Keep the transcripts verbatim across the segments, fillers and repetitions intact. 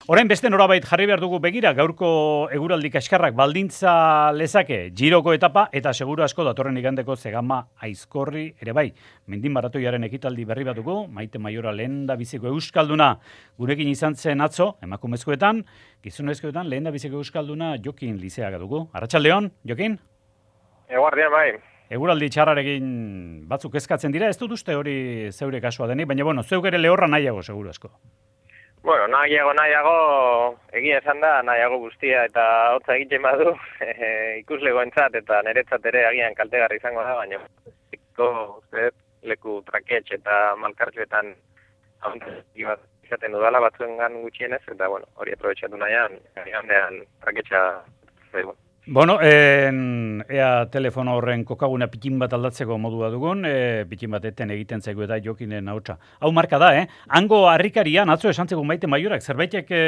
Orain beste norabait jarri behar dugu begira, gaurko eguraldi kaskarrak baldintza lezake giroko etapa, eta seguru asko datorren igandeko Zegama Aizkorri ere bai. Mendin maratoiaren ekitaldi berri bat dugu, Maite Maiora lehendabiziko euskalduna gurekin izan zen atzo, emakumezkoetan, gizonezkoetan lehendabiziko euskalduna Jokin Lizeaga dugu. Arratsaldeon, Jokin? Eguardian bai. Eguraldi txarrarekin batzuk eskatzen dira, ez dut uste hori zeure kasua denik, baina bueno, zeuk ere lehorra nahiago seguru asko. Bueno, nahiago, nahiago, egia esan da, nahiago guztia eta hotza egiten badu e, ikuslegoentzat eta niretzat ere agian kaltegarri izango da, baina uste, leku traketx eta malkartxoetan bat izaten dudala batzuengan gutxienez, eta bueno, hori aprobetxatu nahian, gandean traketxa zaigu. Bueno, en, ea telefono horren kokaguna pikin bat aldatzeko modua dugun, e, pikin bat eten egiten zaigu eta Jokinen ahotsa. Hau marka da, eh? Hango harrikarian, atzo esan zegoen Maite Maiorak, zerbaitek e,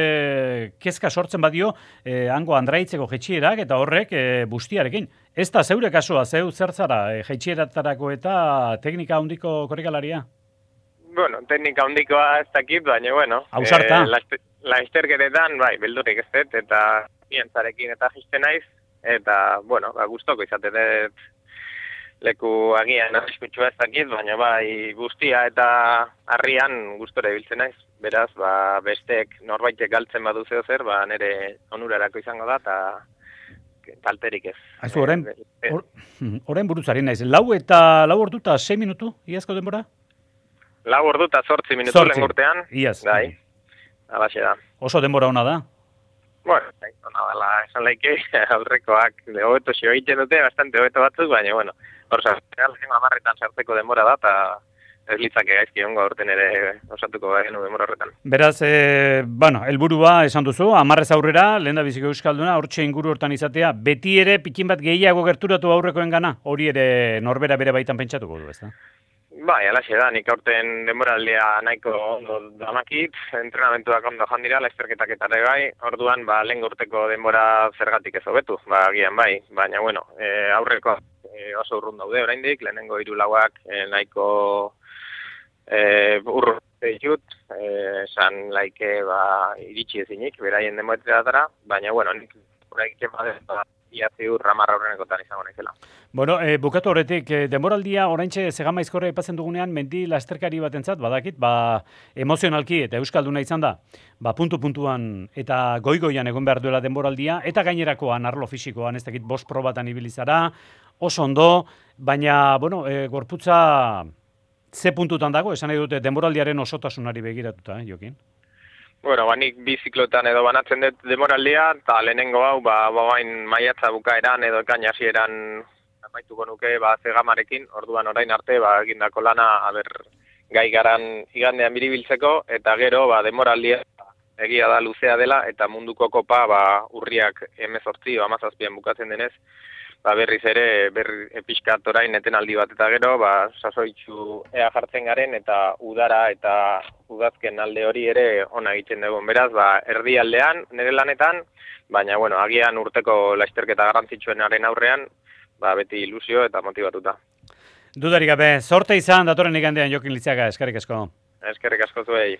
kezka sortzen badio, e, hango andraitzeko jetxierak eta horrek e, bustiarekin. Ez da zeure kasua, zeu zer zara, e, jetxieratarako eta teknika handiko korrikalaria? Bueno, teknika handikoa ez dakit, baina bueno. Ausarta. E, Laizterkeretan, bai, beldurik ez dut, eta pientzarekin eta jisten naiz, eta, bueno, ba, gustoko izate dut leku agian arriskutsua ez dakit, baina bai guztia eta harrian gustore ibiltzen naiz. Beraz, ba, bestek norbaitek galtzen badu zeo zer, ba, nire onurarako izango da, eta talterik ez. Aizu, orain, or, orain buruzari naiz. Lau eta lau ordu eta sei minutu, iazko denbora? Lau ordu eta zortzi minutu lehen urtean. Iaz. Bai, alaxe da. Oso denbora ona da? Bueno, ona dela, esan laike, aurrekoak hobeto xio egiten dute, bastante hobeto batzuk, baina, bueno, hor sartzea, lehen amarretan sartzeko denbora da, eta ez litzake gaizki ongo aurten ere osatuko genu denbora horretan. Beraz, e, bueno, helburua esan duzu, amarrez aurrera, lehen da biziko euskalduna, hortxe inguru hortan izatea, beti ere pikin bat gehiago gerturatu aurrekoen gana, hori ere norbera bere baitan pentsatuko du, ez da? Bai, alaxe da, nik aurten denboraldia nahiko ondo damakit, entrenamentuak ondo jandira, laizterketak eta ere bai, orduan, ba, lehen urteko denbora zergatik ez hobetu, ba, gian bai, baina, bueno, e, aurreko e, oso urrun daude oraindik, lehenengo hiru lauak e, nahiko e, urrun ditut, esan e, laike, ba, iritsi ezinik, beraien denboretara, baina, bueno, nik uraiken baden, ba, iazi urra marra horrenekotan izango naizela. Bueno, e, bukatu horretik, e, denboraldia oraintxe Zegama Aizkorra aipatzen dugunean, mendi lasterkari batentzat badakit, ba, emozionalki eta euskalduna izan da, ba, puntu-puntuan eta goi-goian egon behar duela denboraldia, eta gainerakoan, arlo fisikoan, ez dakit bost probatan ibilizara, oso ondo, baina, bueno, e, gorputza ze puntutan dago, esan nahi dute denboraldiaren osotasunari begiratuta, eh, Jokin? Bueno, ba, nik bi ziklotan edo banatzen dut demoraldia, eta lehenengo hau, ba, bain maiatza bukaeran edo ekain hasieran amaituko nuke, ba, Zegamarekin, orduan orain arte, ba, egindako lana, aber, gai garan igandean biribiltzeko, eta gero, ba, demoraldia egia da luzea dela, eta munduko kopa, ba, urriak hemezortzi o hamazazpian bukatzen denez, ba, berriz ere, berri pixkat orain etenaldi bat, eta gero, ba, sasoitzu ea jartzen garen, eta udara eta udazken alde hori ere ona egiten dugu. Beraz, ba, erdi aldean, nire lanetan, baina, bueno, agian urteko laizterketa garrantzitsuenaren aurrean, ba, beti ilusio eta motibatuta. Dudarik gabe, zorte izan datorren igandean Jokin Lizeaga, eskerrik asko. Eskerrik asko zuei.